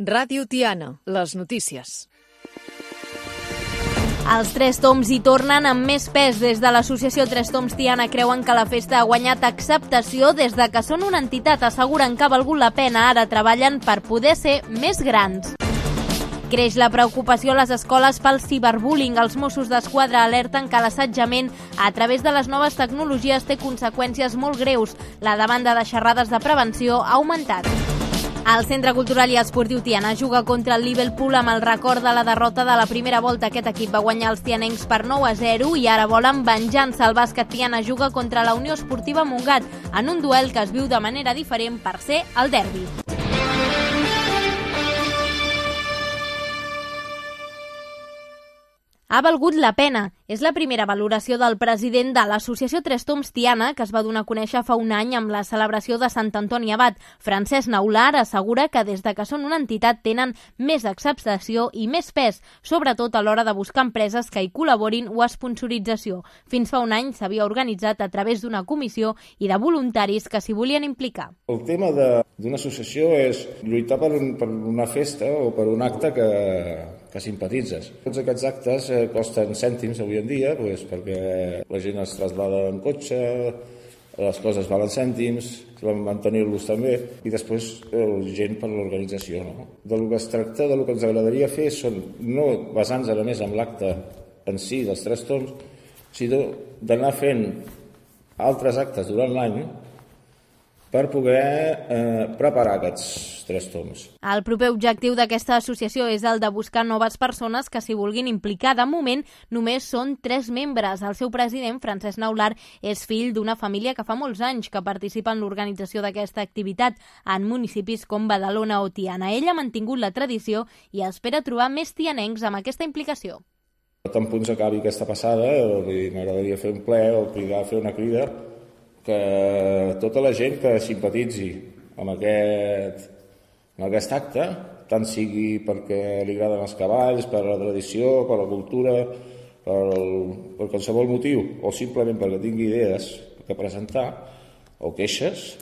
Ràdio Tiana, les notícies. Els Tres Tombs hi tornen amb més pes. Des de l'associació Tres Tombs Tiana creuen que la festa ha guanyat acceptació des de que són una entitat. Asseguren que ha valgut la pena. Ara treballen per poder ser més grans. Creix la preocupació a les escoles pel ciberbullying. Els Mossos d'Esquadra alerten que l'assetjament a través de les noves tecnologies té conseqüències molt greus. La demanda de xerrades de prevenció ha augmentat. El Centre Cultural i Esportiu Tiana juga contra el Liverpool amb el record de la derrota de la primera volta. Aquest equip va guanyar els tianencs per 9-0 i ara volen venjança. El bàsquet Tiana juga contra la Unió Esportiva Montgat en un duel que es viu de manera diferent per ser el derbi. Ha valgut la pena. És la primera valoració del president de l'associació Tres Tombs Tiana, que es va donar a conèixer fa un any amb la celebració de Sant Antoni Abat. Francesc Naular assegura que des de que són una entitat tenen més acceptació i més pes, sobretot a l'hora de buscar empreses que hi col·laborin o esponsorització. Fins fa un any s'havia organitzat a través d'una comissió i de voluntaris que s'hi volien implicar. El tema d'una associació és lluitar per una festa o per un acte que simpatitzes. Tots aquests actes costen cèntims avui en dia perquè la gent es traslada en cotxe, les coses valen cèntims, vam mantenir-los també, i després gent per l'organització. No? Del que es tracta, del que ens agradaria fer, són no basant-nos ara més en l'acte en si dels Tres Tombs, sinó d'anar fent altres actes durant l'any per poder preparar aquests Tres Tombs. El proper objectiu d'aquesta associació és el de buscar noves persones que s'hi vulguin implicar. De moment, només són 3 membres. El seu president, Francesc Naular, és fill d'una família que fa molts anys que participa en l'organització d'aquesta activitat en municipis com Badalona o Tiana. Ell ha mantingut la tradició i espera trobar més tianencs amb aquesta implicació. Tan punts acabi aquesta passada, m'agradaria fer un ple o fer una crida que tota la gent que simpatitzi amb aquest acte, tant sigui perquè li agraden els cavalls, per la tradició, per la cultura, per qualsevol motiu, o simplement perquè tingui idees que presentar o queixes,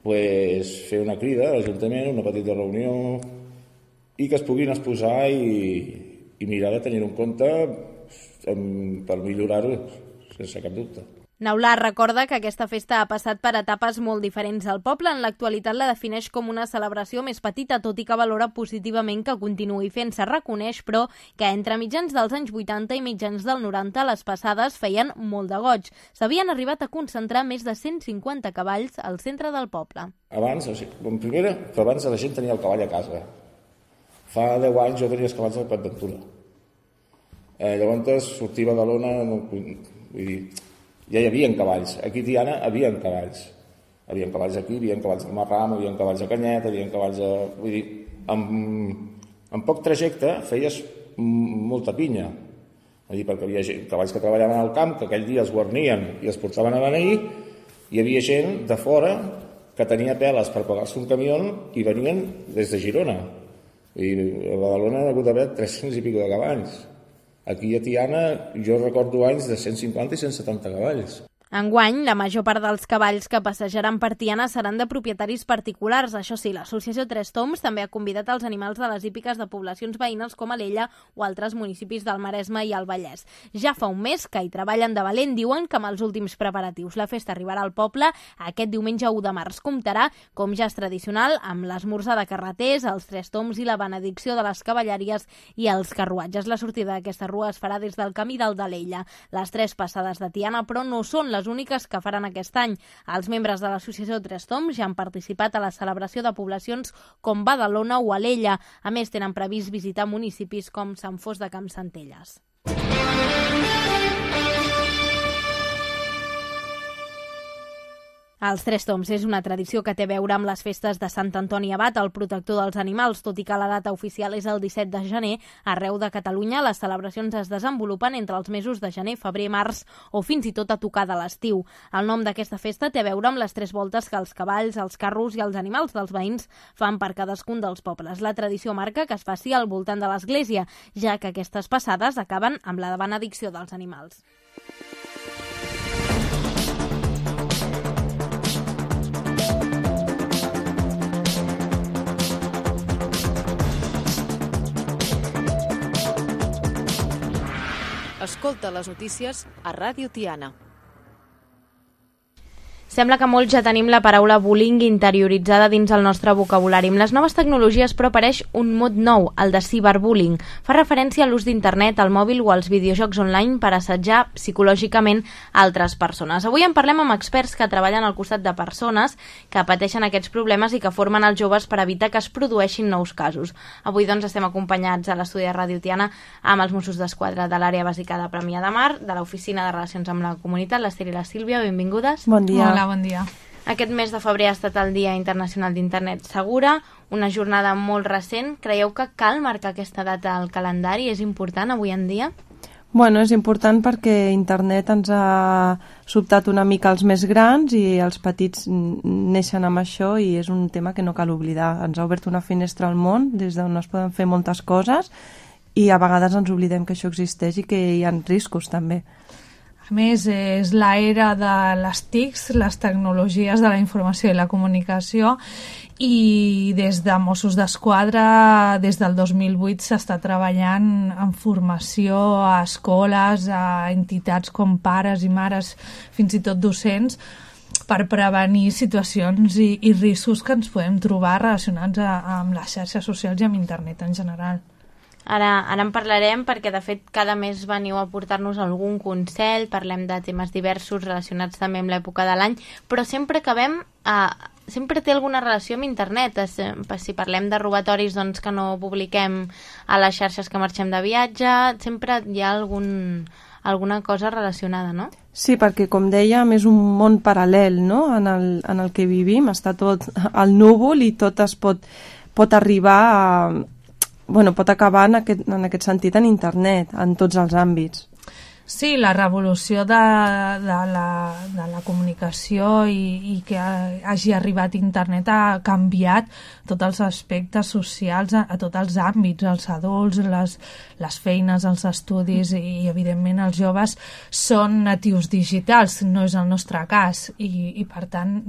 fer una crida a l'Ajuntament, una petita reunió, i que es puguin exposar i mirar de tenir en compte per millorar-ho, sense cap dubte. Naular recorda que aquesta festa ha passat per etapes molt diferents al poble. En l'actualitat la defineix com una celebració més petita, tot i que valora positivament que continuï fent-se. Reconeix, però, que entre mitjans dels anys 80 i mitjans del 90 les passades feien molt de goig. S'havien arribat a concentrar més de 150 cavalls al centre del poble. Abans la gent tenia el cavall a casa. Fa 10 anys jo tenia els cavalls al Prat d'Aventura. Llavors sortia a Badalona, vull dir, ja hi havia cavalls. Aquí a Tiana hi havia cavalls. Hi havia cavalls aquí, hi havia cavalls al Marram, hi havia cavalls a Canyet, hi havia cavalls a... Vull dir, en poc trajecte feies molta pinya. Vull dir, perquè hi havia cavalls que treballaven al camp, que aquell dia es guarnien i es portaven a beneir, hi havia gent de fora que tenia peles per pagar-se un camió i venien des de Girona. I a Badalona ha hagut d'haver 300 i pico de cavalls. Aquí a Tiana jo recordo anys de 150 i 170 cavalls. Enguany, la major part dels cavalls que passejaran per Tiana seran de propietaris particulars. Això sí, l'associació Tres Tombs també ha convidat els animals de les hípiques de poblacions veïnes com Alella o altres municipis del Maresme i el Vallès. Ja fa un mes que hi treballen de valent. Diuen que amb els últims preparatius la festa arribarà al poble aquest diumenge 1 de març. Comptarà, com ja és tradicional, amb l'esmorzar de carreters, els Tres Tombs i la benedicció de les cavalleries i els carruatges. La sortida d'aquesta rua es farà des del camí del d'Alella. Les 3 passades de Tiana, però, no són les úniques que faran aquest any. Els membres de l'associació Tres Tombs ja han participat a la celebració de poblacions com Badalona o Alella. A més, tenen previst visitar municipis com Sant Fost de Campsentelles. Els Tres Tombs és una tradició que té a veure amb les festes de Sant Antoni Abat, el protector dels animals. Tot i que la data oficial és el 17 de gener, arreu de Catalunya les celebracions es desenvolupen entre els mesos de gener, febrer, març o fins i tot a tocar de l'estiu. El nom d'aquesta festa té a veure amb les 3 voltes que els cavalls, els carros i els animals dels veïns fan per cadascun dels pobles. La tradició marca que es faci al voltant de l'església, ja que aquestes passades acaben amb la benedicció dels animals. Escolta les notícies a Ràdio Tiana. Sembla que molts ja tenim la paraula bullying interioritzada dins el nostre vocabulari. Amb les noves tecnologies, però, apareix un mot nou, el de ciberbullying. Fa referència a l'ús d'internet, al mòbil o als videojocs online per assetjar psicològicament altres persones. Avui en parlem amb experts que treballen al costat de persones que pateixen aquests problemes i que formen els joves per evitar que es produeixin nous casos. Avui, doncs, estem acompanyats a l'estudi de Ràdio Tiana amb els Mossos d'Esquadra de l'àrea bàsica de Premià de Mar, de l'Oficina de Relacions amb la Comunitat, l'Ester i la Sílvia. Benvingudes. Bon dia. Hola, bon dia. Aquest mes de febrer ha estat el Dia Internacional d'Internet Segura, una jornada molt recent. Creieu que cal marcar aquesta data al calendari? És important avui en dia? Bueno, és important perquè internet ens ha sobtat una mica els més grans i els petits neixen amb això i és un tema que no cal oblidar. Ens ha obert una finestra al món des d'on es poden fer moltes coses i a vegades ens oblidem que això existeix i que hi ha riscos també. A més, és l'era de les TICs, les tecnologies de la informació i la comunicació, i des de Mossos d'Esquadra, des del 2008, s'està treballant en formació a escoles, a entitats com pares i mares, fins i tot docents, per prevenir situacions i riscos que ens podem trobar relacionats amb les xarxes socials i amb internet en general. Ara en parlarem perquè, de fet, cada mes veniu a portar-nos algun consell, parlem de temes diversos relacionats també amb l'època de l'any, però sempre sempre té alguna relació amb internet. Si parlem de robatoris doncs, que no publiquem a les xarxes que marxem de viatge, sempre hi ha alguna cosa relacionada, no? Sí, perquè, com dèiem, és un món paral·lel, no?, en el que vivim. Està tot al núvol i tot es pot arribar a... pot acabar en aquest sentit en internet, en tots els àmbits. Sí, la revolució de la comunicació i que hagi arribat internet ha canviat tots els aspectes socials a tots els àmbits, els adults, les feines, els estudis i evidentment els joves són natius digitals, no és el nostre cas i per tant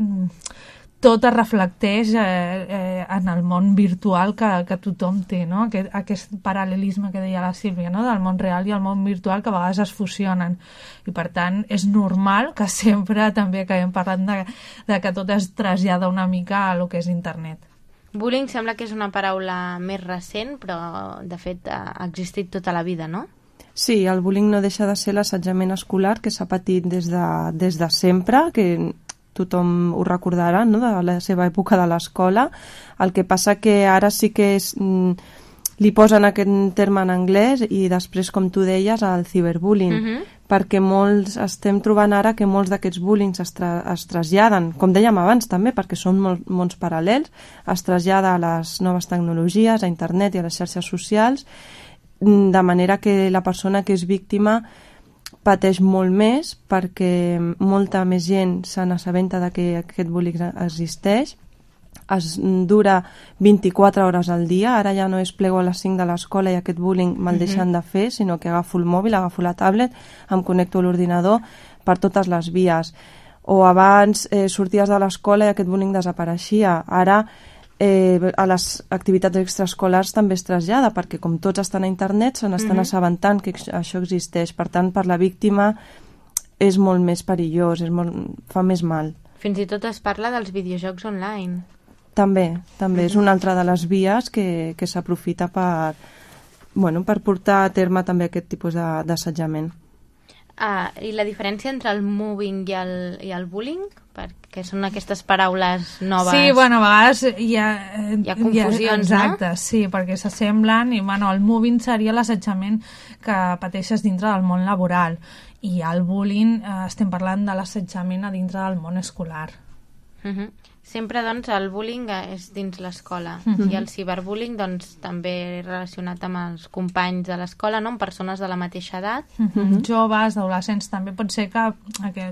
tot es reflecteix en el món virtual que tothom té, no? Aquest paral·lelisme que deia la Sílvia, no? Del món real i el món virtual que a vegades es fusionen i per tant és normal que sempre també acabem parlant de que tot es trasllada una mica a lo que és internet. Bullying sembla que és una paraula més recent, però de fet ha existit tota la vida, no? Sí, el bullying no deixa de ser l'assetjament escolar que s'ha patit des de sempre, que tothom ho recordarà, no?, de la seva època de l'escola. El que passa que ara sí que li posen aquest terme en anglès i després, com tu deies, el ciberbullying, perquè estem trobant ara que molts d'aquests bullings es traslladen, com dèiem abans també, perquè són mons paral·lels, es trasllada a les noves tecnologies, a internet i a les xarxes socials, de manera que la persona que és víctima pateix molt més perquè molta més gent se n'assabenta de que aquest bullying existeix, es dura 24 hores al dia, ara ja no és plego a les 5 de l'escola i aquest bullying me'l deixen de fer, sinó que agafo el mòbil, agafo la tablet, em connecto a l'ordinador per totes les vies. O abans sorties de l'escola i aquest bullying desapareixia, ara a les activitats extraescolars també es trasllada, perquè com tots estan a internet se n'estan assabentant que això existeix, per tant per la víctima és molt més perillós, fa més mal. Fins i tot es parla dels videojocs online. També és una altra de les vies que s'aprofita per portar a terme també aquest tipus d'assetjament. I la diferència entre el mobbing i el bullying? Perquè són aquestes paraules noves. Sí, a vegades hi ha confusions, exacte, no? Sí, perquè s'assemblen i el mobbing seria l'assetjament que pateixes dintre del món laboral i el bullying estem parlant de l'assetjament a dintre del món escolar. Sempre, doncs, el bullying és dins l'escola i el ciberbullying, doncs, també relacionat amb els companys de l'escola, no?, amb persones de la mateixa edat. Joves, adolescents, també pot ser que,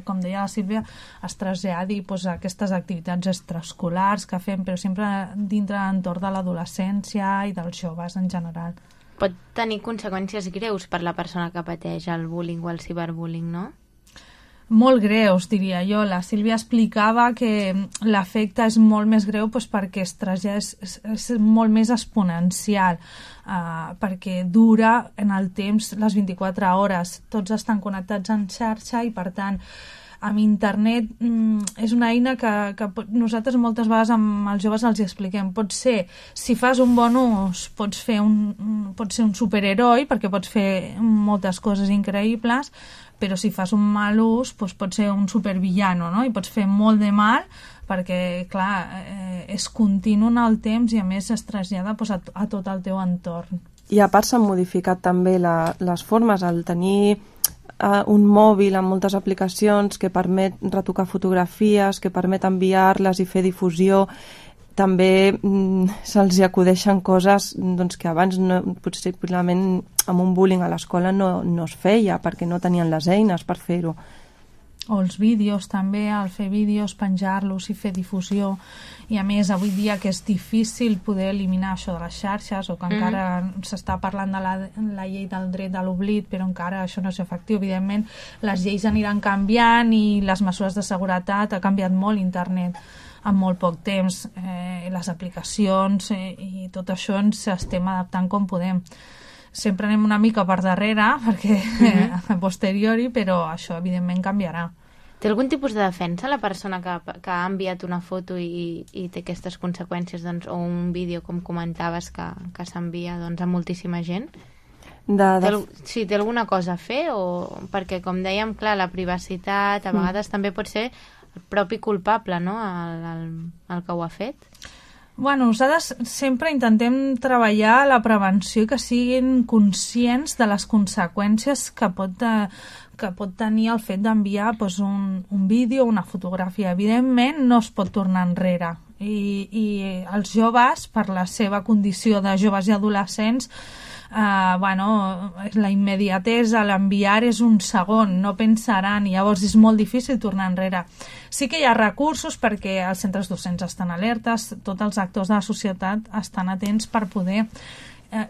com deia la Sílvia, es traslladi aquestes activitats extraescolars que fem, però sempre dintre l'entorn de l'adolescència i dels joves en general. Pot tenir conseqüències greus per la persona que pateix el bullying o el ciberbullying, no? molt greus, diria jo. La Sílvia explicava que l'efecte és molt més greu perquè és molt més exponencial, perquè dura en el temps les 24 hores. Tots estan connectats en xarxa i, per tant, amb internet és una eina que nosaltres moltes vegades amb els joves els expliquem. Pot ser, si fas un bon ús, pots ser un superheroi, perquè pots fer moltes coses increïbles, però si fas un mal ús pots ser un supervillano, no? I pots fer molt de mal perquè, clar, és continu en el temps i a més es trasllada a tot el teu entorn. I a part s'han modificat també les formes, al tenir un mòbil amb moltes aplicacions que permet retocar fotografies, que permet enviar-les i fer difusió. També se'ls acudeixen coses que abans possiblement amb un bullying a l'escola no es feia perquè no tenien les eines per fer-ho. O els vídeos també, al fer vídeos, penjar-los i fer difusió. I a més, avui dia que és difícil poder eliminar això de les xarxes, o que encara s'està parlant de la llei del dret de l'oblit, però encara això no és efectiu. Evidentment, les lleis aniran canviant i les mesures de seguretat, ha canviat molt internet en molt poc temps, les aplicacions i tot això ens estem adaptant com podem. Sempre anem una mica per darrere, perquè a posteriori, però això evidentment canviarà. Té algun tipus de defensa la persona que ha enviat una foto i té aquestes conseqüències, o un vídeo, com comentaves, que s'envia a moltíssima gent? Sí, té alguna cosa a fer? Perquè, com dèiem, clar, la privacitat a vegades també pot ser el propi culpable, no?, el que ho ha fet. Bueno, nosaltres sempre intentem treballar la prevenció i que siguin conscients de les conseqüències que pot tenir el fet d'enviar un vídeo o una fotografia. Evidentment, no es pot tornar enrere. I els joves, per la seva condició de joves i adolescents, la immediatesa, l'enviar és un segon, no pensaran, i llavors és molt difícil tornar enrere. Sí que hi ha recursos perquè els centres docents estan alertes, tots els actors de la societat estan atents per poder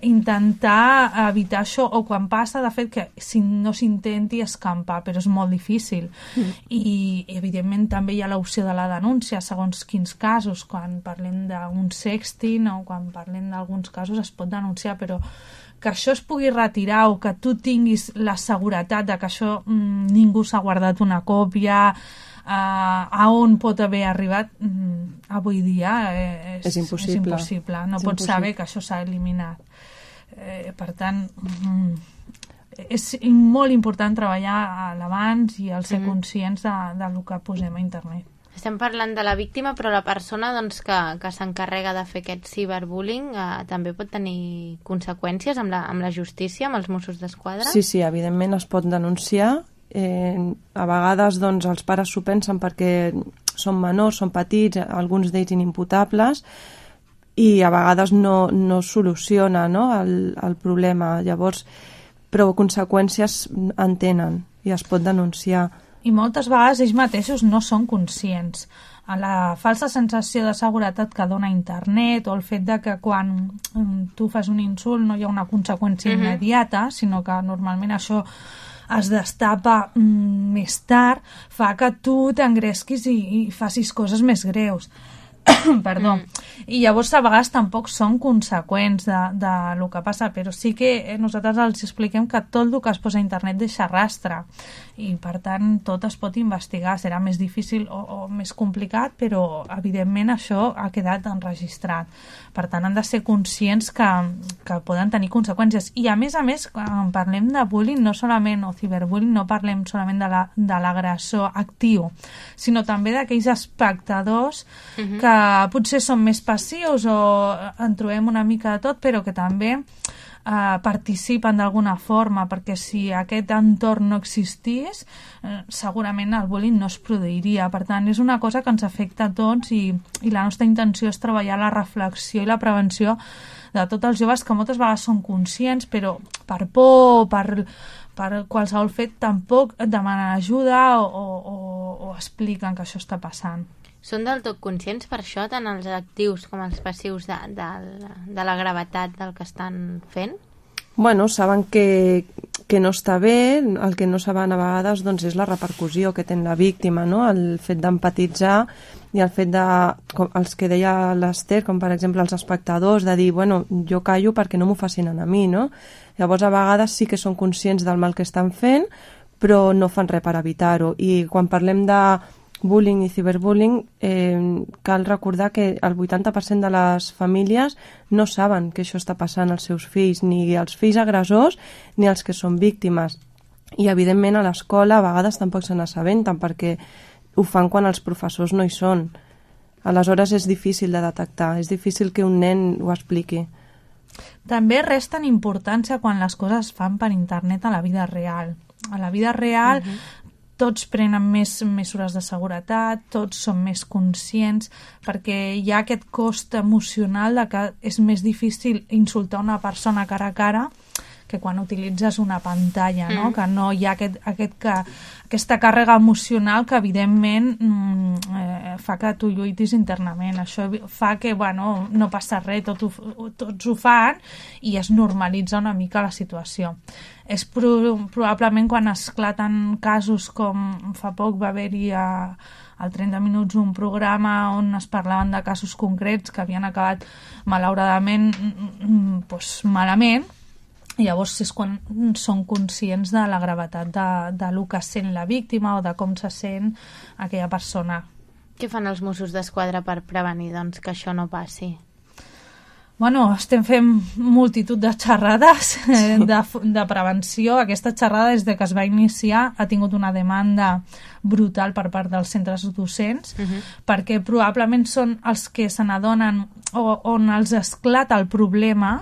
intentar evitar això, o quan passa, de fet, que si no s'intenti escampar, però és molt difícil. I evidentment també hi ha l'opció de la denúncia, segons quins casos. Quan parlem d'un sexting o quan parlem d'alguns casos es pot denunciar, però que això es pugui retirar o que tu tinguis la seguretat de que això ningú s'ha guardat una còpia, a on pot haver arribat, avui dia és impossible. No pots saber que això s'ha eliminat. Per tant, és molt important treballar a l'abans i el ser conscients del que posem a internet. Estem parlant de la víctima, però la persona que s'encarrega de fer aquest ciberbullying també pot tenir conseqüències amb la justícia, amb els Mossos d'Esquadra? Sí, evidentment es pot denunciar. A vegades els pares s'ho pensen perquè són menors, són petits, alguns d'ells inimputables, i a vegades no soluciona, no, el problema. Llavors, però conseqüències en tenen i es pot denunciar. I moltes vegades ells mateixos no són conscients. La falsa sensació de seguretat que dona internet, o el fet de que quan tu fas un insult no hi ha una conseqüència immediata, sinó que normalment això es destapa més tard, fa que tu t'engresquis i facis coses més greus. Perdó. I llavors a vegades tampoc són conseqüents de lo que passa, però sí que nosaltres els expliquem que tot el que es posa a internet deixa rastre, i per tant tot es pot investigar. Serà més difícil o més complicat, però evidentment això ha quedat enregistrat. Per tant, han de ser conscients que poden tenir conseqüències. I a més, quan parlem de bullying, no solament, o ciberbullying, no parlem solament de l'agressor actiu, sinó també d'aquells espectadors que potser són més passius o en trobem una mica de tot, però que també participen d'alguna forma, perquè si aquest entorn no existís, segurament el bullying no es produiria. Per tant, és una cosa que ens afecta a tots, i la nostra intenció és treballar la reflexió i la prevenció de tots els joves, que moltes vegades són conscients, però per por, per qualsevol fet, tampoc demanen ajuda o expliquen que això està passant. Són del tot conscients per això, tant els actius com els passius, de la gravetat del que estan fent? Bueno, saben que no està bé, el que no saben a vegades doncs, és la repercussió que té la víctima, no? El fet d'empatitzar i el fet de, com els que deia l'Ester, com per exemple els espectadors, de dir, bueno, jo callo perquè no m'ho facin a mi, no? Llavors a vegades sí que són conscients del mal que estan fent, però no fan res per evitar-ho. I quan parlem de bullying i ciberbullying, cal recordar que el 80% de les famílies no saben que això està passant als seus fills, ni els fills agressors ni els que són víctimes. I evidentment a l'escola a vegades tampoc se n'assabenten perquè ho fan quan els professors no hi són. Aleshores és difícil de detectar, és difícil que un nen ho expliqui. També resten importància quan les coses es fan per internet a la vida real. A la vida real tots prenen més mesures de seguretat, tots són més conscients, perquè hi ha aquest cost emocional de que és més difícil insultar una persona cara a cara que quan utilitzes una pantalla, no? Que no hi ha aquesta càrrega emocional que evidentment fa que tu lluitis internament. Això fa que no passa res, tots ho fan i es normalitza una mica la situació. És probablement quan esclaten casos com fa poc va haver-hi al 30 minuts un programa on es parlaven de casos concrets que havien acabat malauradament malament. I llavors és quan són conscients de la gravetat de lo que sent la víctima o de com se sent aquella persona. Què fan els Mossos d'Esquadra per prevenir que això no passi? Bueno, estem fent multitud de xerrades de prevenció. Aquesta xerrada, des que es va iniciar, ha tingut una demanda brutal per part dels centres docents, perquè probablement són els que se n'adonen on els esclata el problema,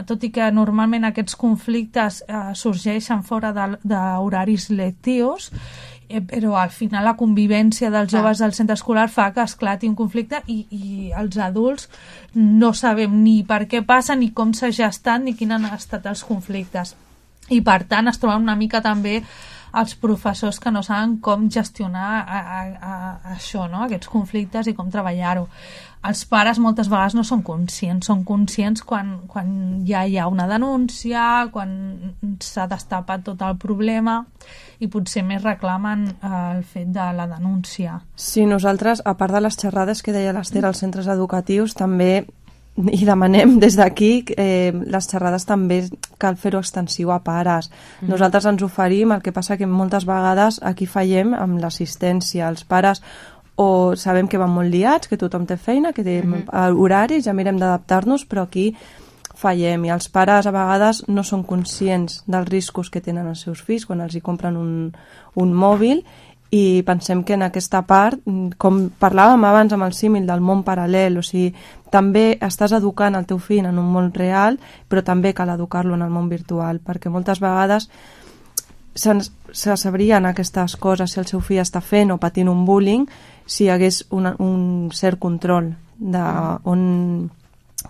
tot i que normalment aquests conflictes sorgeixen fora d'horaris lectius, però al final la convivència dels joves al centre escolar fa que esclati un conflicte i els adults no sabem ni per què passa, ni com s'ha gestat, ni quins han estat els conflictes. I per tant es troben una mica també els professors que no saben com gestionar això, no? Aquests conflictes i com treballar-ho. Els pares moltes vegades no són conscients quan ja hi ha una denúncia, quan s'ha destapat tot el problema i potser més reclamen el fet de la denúncia. Sí, nosaltres, a part de les xerrades que deia l'Ester als centres educatius, també i demanem des d'aquí les xerrades també cal fer-ho extensiu a pares. Nosaltres ens oferim, el que passa que moltes vegades aquí fallem amb l'assistència. Els pares o sabem que van molt liats, que tothom té feina, que té horaris, ja mirem d'adaptar-nos, però aquí fallem i els pares a vegades no són conscients dels riscos que tenen els seus fills quan els hi compren un mòbil. I pensem que en aquesta part, com parlàvem abans amb el símil del món paral·lel, o sigui, també estàs educant el teu fill en un món real, però també cal educar-lo en el món virtual, perquè moltes vegades se sabrien aquestes coses si el seu fill està fent o patint un bullying, si hi hagués un cert control de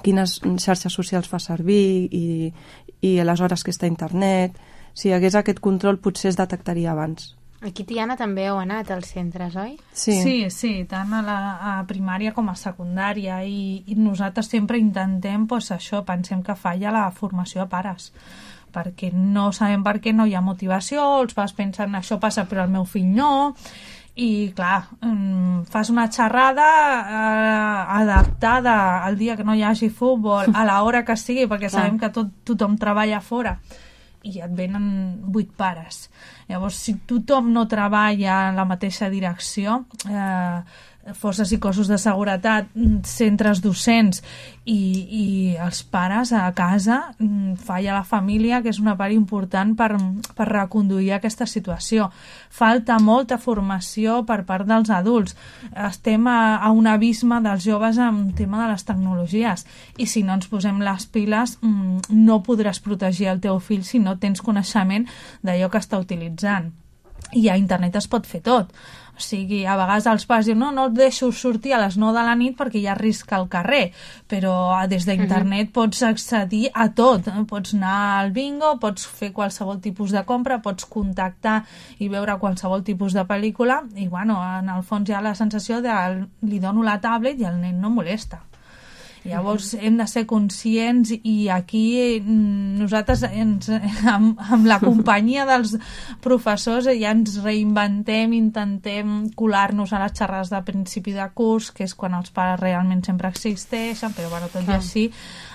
quines xarxes socials fa servir i a les hores que està a internet. Si hi hagués aquest control potser es detectaria abans. Aquí, Tiana, també heu anat als centres, oi? Sí, tant a primària com a secundària i nosaltres sempre intentem això, pensem que falla la formació a pares, perquè no sabem per què no hi ha motivació, els pares pensen això passa però el meu fill no, i clar, fas una xerrada adaptada al dia que no hi hagi futbol, a l'hora que sigui, perquè sabem que tothom treballa fora, i et venen 8 pares. Llavors, si tothom no treballa en la mateixa direcció, forces i cossos de seguretat, centres docents i els pares a casa, falla la família, que és una part important per reconduir aquesta situació. Falta molta formació per part dels adults. Estem a un abisme dels joves amb el tema de les tecnologies i si no ens posem les piles no podràs protegir el teu fill si no tens coneixement d'allò que està utilitzant. I a internet es pot fer tot. O sigui, a vegades els pares diuen no et deixo sortir a les 9 de la nit perquè hi ha risc al carrer, però des d'internet pots accedir a tot. Pots anar al bingo, pots fer qualsevol tipus de compra, pots contactar i veure qualsevol tipus de pel·lícula i, en el fons hi ha la sensació de li dono la tablet i el nen no molesta. Llavors hem de ser conscients i aquí nosaltres amb la companyia dels professors ja ens reinventem, intentem colar-nos a les xerrades de principi de curs, que és quan els pares realment sempre existeixen, però bueno, tot i així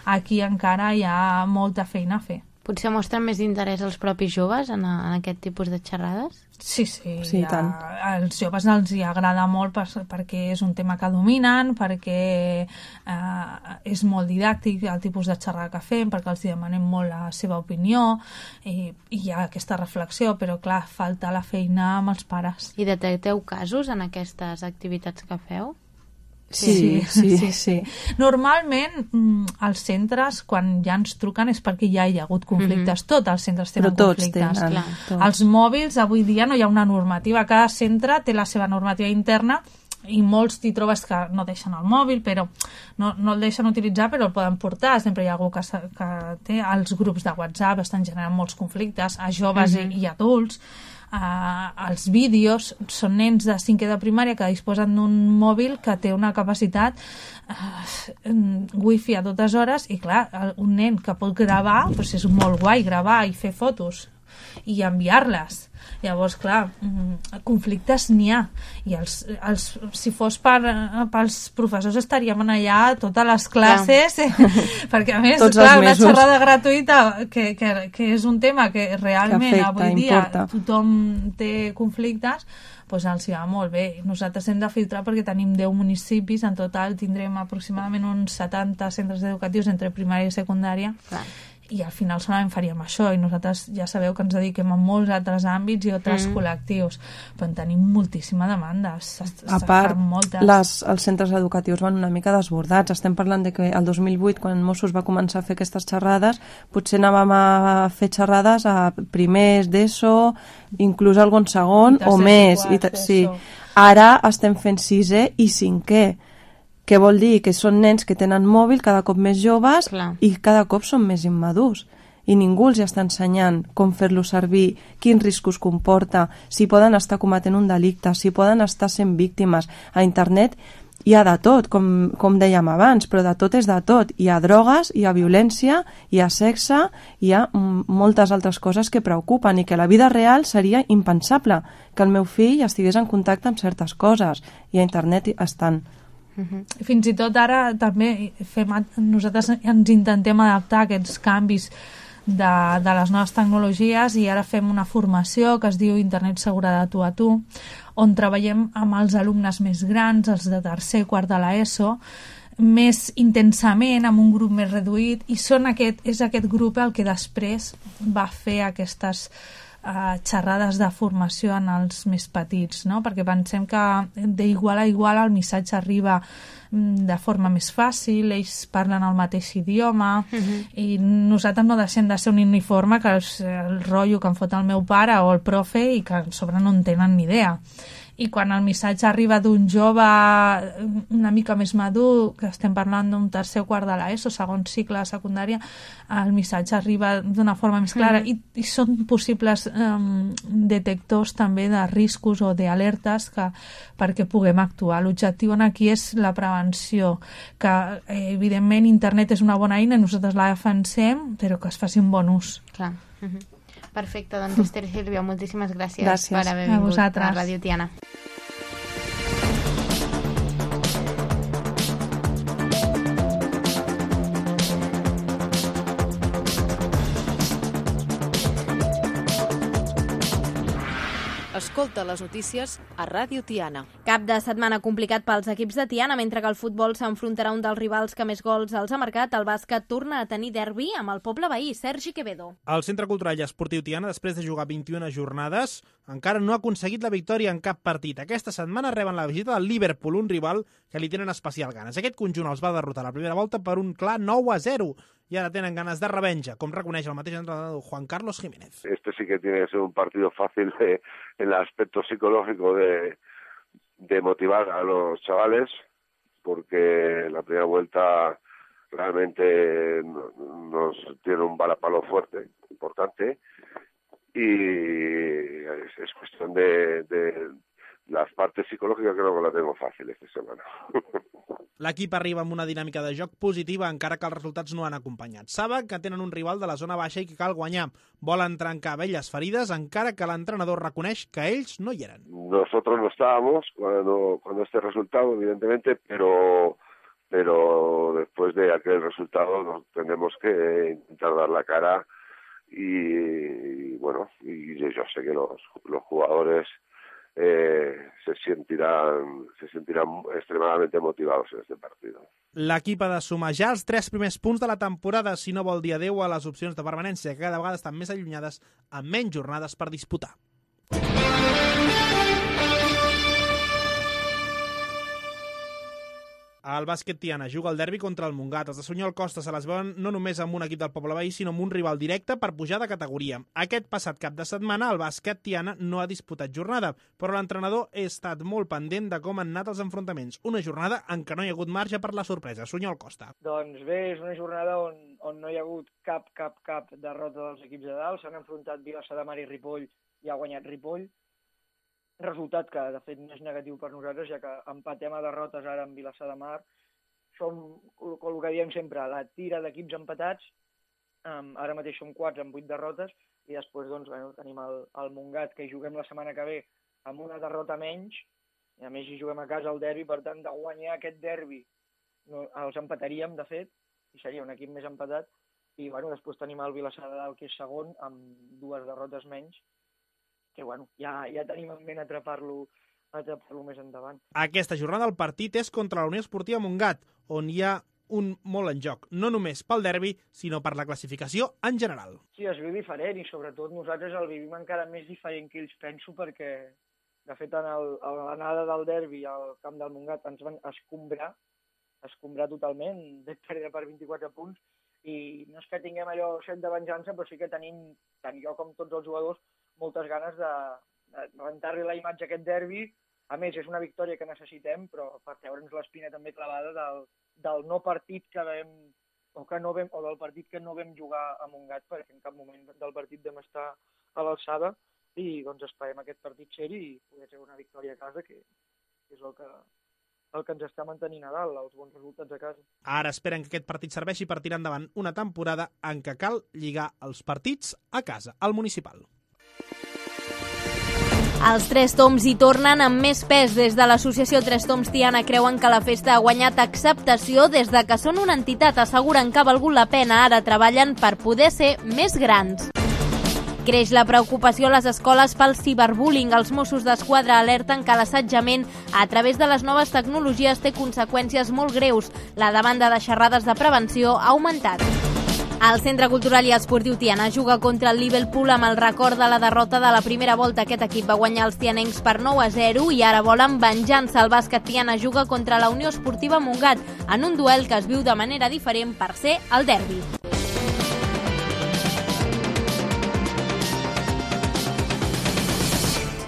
aquí encara hi ha molta feina a fer. Potser mostren més interès als propis joves en aquest tipus de xerrades? Sí, tant. Als joves els hi agrada molt perquè és un tema que dominen, perquè és molt didàctic el tipus de xerrada que fem, perquè els demanem molt la seva opinió i hi ha aquesta reflexió, però clar, falta la feina amb els pares. I detecteu casos en aquestes activitats que feu? Sí. Normalment els centres quan ja ens truquen és perquè ja hi ha hagut conflictes. Tots els centres tenen conflictes. Els mòbils avui dia no hi ha una normativa, cada centre té la seva normativa interna i molts t'hi trobes que no deixen el mòbil, però no el deixen utilitzar, però el poden portar. Sempre hi ha algú que té els grups de WhatsApp, estan generant molts conflictes a joves i adults. Els vídeos són nens de 5è de primària que disposen d'un mòbil que té una capacitat wifi a totes hores i clar, un nen que pot gravar doncs és molt guai gravar i fer fotos i enviar-les. Llavors, clar, conflictes n'hi ha. I si fos pels professors estaríem allà totes les classes, perquè a més, clar, una xerrada gratuïta que és un tema que realment avui dia tothom té conflictes, doncs els va molt bé. Nosaltres hem de filtrar perquè tenim 10 municipis, en total tindrem aproximadament uns 70 centres educatius entre primària i secundària. I al final solament faríem això i nosaltres ja sabeu que ens dediquem a molts altres àmbits i altres col·lectius, però en tenim moltíssima demanda. A part, els centres educatius van una mica desbordats. Estem parlant de que el 2008, quan Mossos va començar a fer aquestes xerrades, potser anàvem a fer xerrades a primers d'ESO, inclús algun segon o més. Ara estem fent 6è i 5è. Què vol dir? Que són nens que tenen mòbil cada cop més joves i cada cop són més immadurs. I ningú els està ensenyant com fer-lo servir, quins riscos comporta, si poden estar cometent un delicte, si poden estar sent víctimes. A internet hi ha de tot, com dèiem abans, però de tot és de tot. Hi ha drogues, hi ha violència, hi ha sexe, hi ha moltes altres coses que preocupen i que a la vida real seria impensable que el meu fill estigués en contacte amb certes coses. I a internet estan. Fins i tot ara també nosaltres ens intentem adaptar a aquests canvis de les noves tecnologies i ara fem una formació que es diu Internet segura de tu a tu, on treballem amb els alumnes més grans, els de tercer i quart de l'ESO, més intensament, amb un grup més reduït, i és aquest grup el que després va fer aquestes xerrades de formació en els més petits, no? Perquè pensem que d'igual a igual el missatge arriba de forma més fàcil, ells parlen el mateix idioma i nosaltres no deixem de ser un uniforme que el rotllo que em fot el meu pare o el profe i que a sobre no en tenen ni idea. I quan el missatge arriba d'un jove una mica més madur, que estem parlant d'un tercer o quart de l'ESO, segon cicle de secundària, el missatge arriba d'una forma més clara i són possibles detectors també de riscos o d'alertes perquè puguem actuar. L'objectiu aquí és la prevenció, que evidentment internet és una bona eina, nosaltres la defensem, però que es faci un bon ús. Clar. Perfecte, doncs Esther i Sílvia, moltíssimes gràcies per haver vingut a Ràdio Tiana. Escolta les notícies a Ràdio Tiana. Cap de setmana complicat pels equips de Tiana, mentre que el futbol s'enfrontarà un dels rivals que més gols els ha marcat. El bàsquet torna a tenir derbi amb el poble veí, Sergi Quevedo. El Centre Cultural i Esportiu Tiana, després de jugar 21 jornades, encara no ha aconseguit la victòria en cap partit. Aquesta setmana reben la visita del Liverpool, un rival que li tenen especial ganes. Aquest conjunt els va derrotar a la primera volta per un clar 9-0. Y ahora tienen ganas de revenja, com reconeix el mateix entrenador Juan Carlos Jiménez. Este sí que tiene que ser un partido fácil en el aspecto psicológico de motivar a los chavales, porque la primera vuelta realmente nos tiene un balapalo fuerte, importante, y es cuestión de las partes psicológicas, creo que la tengo fácil esta semana. L'equip arriba amb una dinàmica de joc positiva, encara que els resultats no han acompanyat. Saben que tenen un rival de la zona baixa i que cal guanyar. Volen trencar velles ferides, encara que l'entrenador reconeix que ells no hi eren. Nosotros no estábamos cuando este resultado, evidentemente, pero después de aquel resultado nos tenemos que intentar dar la cara y bueno, y yo sé que los jugadores se sentirán extremadamente motivados en este partido. L'equip ha de sumar ja els 3 primers punts de la temporada si no vol dir adeu a les opcions de permanència, que cada vegada estan més allunyades amb menys jornades per disputar. El bàsquet Tiana juga el derbi contra el Montgat. Els de Sunyol Costa se les veuen no només amb un equip del poble veí, sinó amb un rival directe per pujar de categoria. Aquest passat cap de setmana el bàsquet Tiana no ha disputat jornada, però l'entrenador ha estat molt pendent de com han anat els enfrontaments. Una jornada en què no hi ha hagut marge per la sorpresa. Sunyol Costa. Doncs bé, és una jornada on no hi ha hagut cap derrota dels equips de dalt. S'han enfrontat Vilassar de Mar i Ripoll i ha guanyat Ripoll. Resultat que, de fet, no és negatiu per nosaltres, ja que empatem a derrotes ara amb Vilassar de Mar. Som, el que diem sempre, la tira d'equips empatats. Ara mateix som 4 amb 8 derrotes i després tenim el Montgat, que hi juguem la setmana que ve amb una derrota menys, i a més hi juguem a casa el derbi, per tant, de guanyar aquest derbi els empataríem, de fet, i seria un equip més empatat. I després tenim el Vilassar de Dalt, que és segon, amb 2 derrotes menys, que ja tenim en ment atrapar-lo més endavant. Aquesta jornada el partit és contra la Unió Esportiva Montgat, on hi ha un molt en joc, no només pel derbi, sinó per la classificació en general. Sí, es viu diferent i sobretot nosaltres el vivim encara més diferent que ells, penso, perquè de fet a l'anada del derbi al camp del Montgat ens van escombrar totalment, de perdre per 24 punts, i no és que tinguem allò set de venjança, però sí que tenim, tant jo com tots els jugadors, moltes ganes de rentar-li la imatge a aquest derbi. A més, és una victòria que necessitem, però per treure'ns l'espina també clavada del no partit que vam, o del partit que no vam jugar a Montgat, perquè en cap moment del partit vam estar a l'alçada, i esperem aquest partit ser-hi i poder treure una victòria a casa, que és el que ens està mantenint a dalt, els bons resultats a casa. Ara esperen que aquest partit serveixi per tirar endavant una temporada en què cal lligar els partits a casa, al municipal. Els Tres Toms hi tornen amb més pes. Des de l'associació Tres Toms Tiana creuen que la festa ha guanyat acceptació des de que són una entitat. Asseguren que ha valgut la pena. Ara treballen per poder ser més grans. Creix la preocupació a les escoles pel ciberbullying. Els Mossos d'Esquadra alerten que l'assetjament a través de les noves tecnologies té conseqüències molt greus. La demanda de xerrades de prevenció ha augmentat. El Centre Cultural i Esportiu Tiana juga contra el Liverpool amb el record de la derrota de la primera volta. Aquest equip va guanyar els tianencs per 9-0 i ara volen venjança. El bàsquet Tiana juga contra la Unió Esportiva Montgat en un duel que es viu de manera diferent per ser el derbi.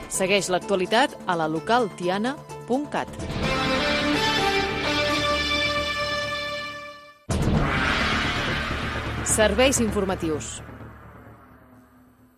Segueix l'actualitat a la localtiana.cat. Serveis informatius.